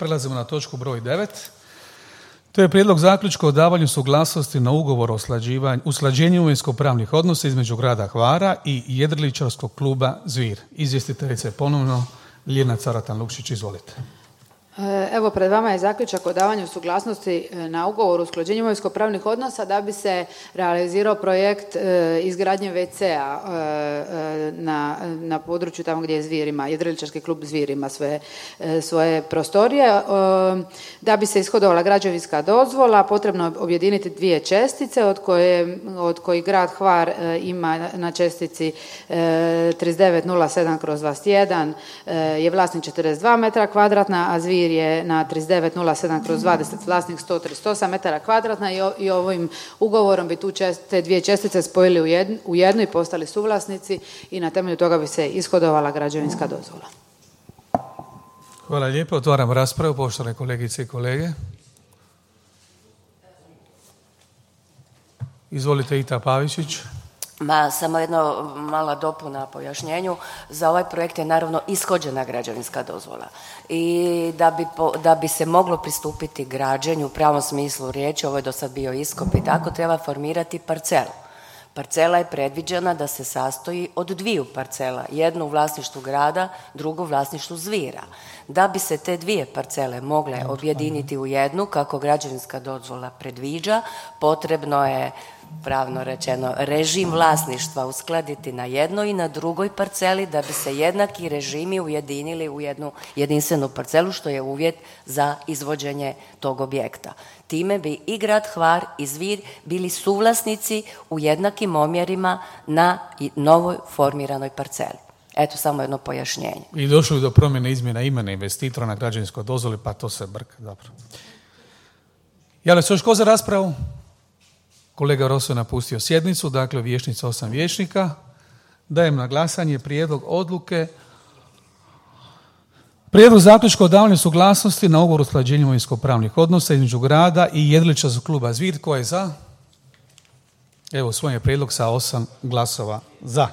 Prelazimo na točku broj 9. To je prijedlog zaključka o davanju suglasnosti na ugovor o usklađenju imovinsko-pravnih odnosa između grada Hvara i jedriličarskog kluba Zvir. Izvjestiteljice ponovno Ljiljana Caratan-Lukšić, izvolite. Evo, pred vama je zaključak o davanju suglasnosti na ugovor o usklađenju imovinsko-pravnih odnosa da bi se realizirao projekt izgradnje WC-a na području tamo gdje je Zvir ima, jedriličarski klub Zvir ima svoje prostorije. Da bi se ishodovala građevinska dozvola, potrebno je objediniti dvije čestice od kojih grad Hvar ima na čestici 3907/21 je vlasnik 42 metra kvadratna, a Zvir je na 3907/20 vlasnik 138 metara kvadratna i ovim ugovorom bi te dvije čestice spojili u jednu i postali suvlasnici i na temelju toga bi se ishodovala građevinska dozvola. Hvala lijepo. Otvaram raspravu, poštovane kolegice i kolege. Izvolite, Ita Pavičić. Samo jedno mala dopuna pojašnjenju. Za ovaj projekt je naravno ishođena građevinska dozvola i da bi se moglo pristupiti građenju u pravom smislu riječi, ovo je do sad bio iskop i tako, treba formirati parcelu. Parcela je predviđena da se sastoji od dviju parcela, jednu u vlasništvu grada, drugu u vlasništvu Zvira. Da bi se te dvije parcele mogle objediniti u jednu, kako građevinska dozvola predviđa, potrebno je, pravno rečeno, režim vlasništva uskladiti na jednoj i na drugoj parceli da bi se jednaki režimi ujedinili u jednu jedinstvenu parcelu, što je uvjet za izvođenje tog objekta. Time bi i grad Hvar i Zvir bili suvlasnici u jednakim omjerima na novoj formiranoj parceli. Eto, samo jedno pojašnjenje. I došlo je do promjene izmjena imena investitora na građevinskoj dozvoli, pa to se brka. Dobro. Javlja se još ko za raspravu? Kolega Roso je napustio sjednicu, dakle vijećnica 8 vijećnika. Dajem na glasanje prijedlog odluke. Prijedlog zaključka o davanju suglasnosti na ugovor o usklađenju imovinsko-pravnih odnosa između grada i jedriličarskog kluba Zvir. Tko je za? Evo, svoj je prijedlog sa 8 glasova za.